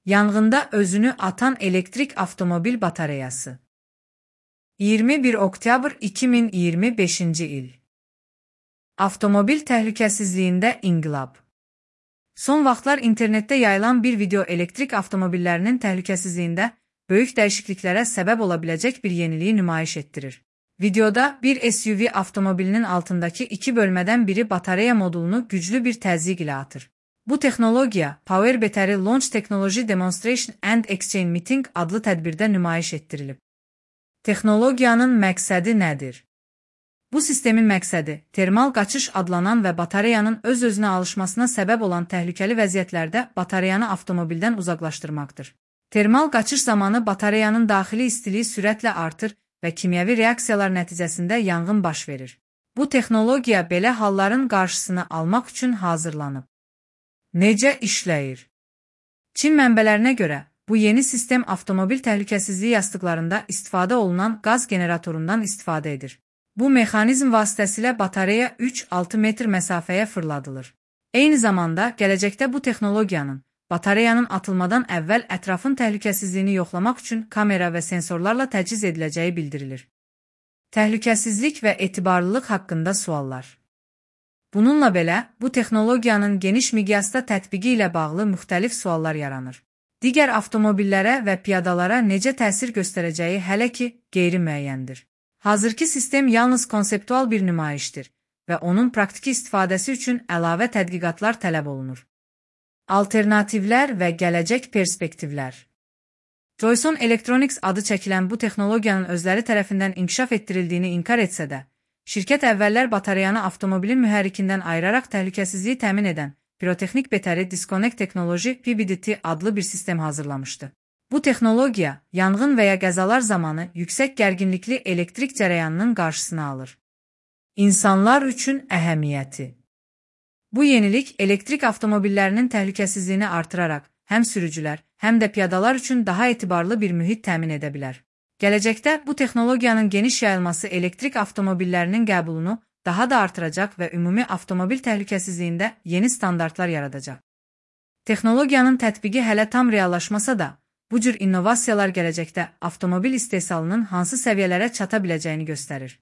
Yanğında özünü atan elektrik avtomobil batareyası. 21 oktyabr 2025-ci il. Avtomobil təhlükəsizliyində inqilab. Son vaxtlar internetdə yayılan bir video elektrik avtomobillərinin təhlükəsizliyində böyük dəyişikliklərə səbəb ola biləcək bir yeniliyi nümayiş etdirir. Videoda bir SUV avtomobilinin altındakı iki bölmədən biri batareya modulunu güclü bir təzyiq ilə atır. Bu texnologiya Power Battery Launch Technology Demonstration and Exchange Meeting adlı tədbirdə nümayiş etdirilib. Texnologiyanın məqsədi nədir? Bu sistemin məqsədi termal qaçış adlanan və batareyanın öz-özünə alışmasına səbəb olan təhlükəli vəziyyətlərdə batareyanı avtomobildən uzaqlaşdırmaqdır. Termal qaçış zamanı batareyanın daxili istiliyi sürətlə artır və kimyəvi reaksiyalar nəticəsində yanğın baş verir. Bu texnologiya belə halların qarşısını almaq üçün hazırlanıb. Necə işləyir? Çin mənbələrinə görə, bu yeni sistem avtomobil təhlükəsizliyi yastıqlarında istifadə olunan qaz generatorundan istifadə edir. Bu mexanizm vasitəsilə batareya 3-6 metr məsafəyə fırladılır. Eyni zamanda, gələcəkdə bu texnologiyanın batareyanın atılmadan əvvəl ətrafın təhlükəsizliyini yoxlamaq üçün kamera və sensorlarla təchiz ediləcəyi bildirilir. Təhlükəsizlik və etibarlılıq haqqında suallar. Bununla belə, bu texnologiyanın geniş miqyasda tətbiqi ilə bağlı müxtəlif suallar yaranır. Digər avtomobillərə və piyadalara necə təsir göstərəcəyi hələ ki, qeyri-müəyyəndir. Hazırki sistem yalnız konseptual bir nümayişdir və onun praktiki istifadəsi üçün əlavə tədqiqatlar tələb olunur. Alternativlər və gələcək perspektivlər. Joyson Electronics adı çəkilən bu texnologiyanın özləri tərəfindən inkişaf etdirildiyini inkar etsə də, şirkət əvvəllər batareyanı avtomobilin mühərrikindən ayıraraq təhlükəsizliyi təmin edən Pyrotechnic Battery Disconnect Technology (PBDT) adlı bir sistem hazırlamışdı. Bu texnologiya, yanğın və ya qəzalar zamanı yüksək gərginlikli elektrik cərəyanının qarşısını alır. İnsanlar üçün əhəmiyyəti. Bu yenilik elektrik avtomobillərinin təhlükəsizliyini artıraraq həm sürücülər, həm də piyadalar üçün daha etibarlı bir mühit təmin edə bilər. Gələcəkdə bu texnologiyanın geniş yayılması elektrik avtomobillərinin qəbulunu daha da artıracaq və ümumi avtomobil təhlükəsizliyində yeni standartlar yaradacaq. Texnologiyanın tətbiqi hələ tam reallaşmasa da, bu cür innovasiyalar gələcəkdə avtomobil istehsalının hansı səviyyələrə çata biləcəyini göstərir.